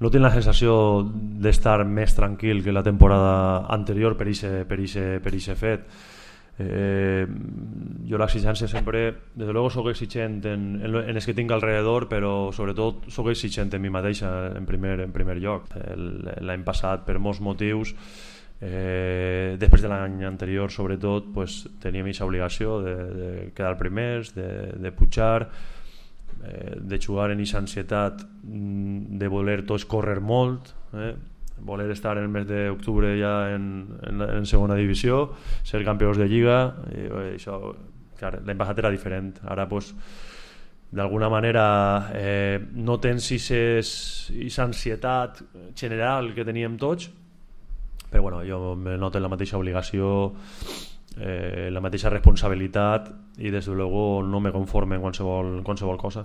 no tinc la sensació d'estar més tranquil que la temporada anterior per ixe fet. Jo l'exigència sempre, desde luego soc exigent en els que tinc alrededor, però sobretot soc exigent en mi mateixa en primer lloc. L'any passat, per molts motius, després de l'any anterior sobretot, pues, teníem aquesta obligació de quedar primers, de pujar, de jugar en aquesta ansietat de voler tots córrer molt, voler estar en el mes d'octubre ja en segona divisió, ser campions de lliga, i això, clar, l'any passat era diferent. Ara pues, d'alguna manera no tens aquesta ansietat general que teníem tots, però bueno, jo me noto la mateixa obligació, la mateixa responsabilitat, i des de luego no me conforme en qualsevol cosa.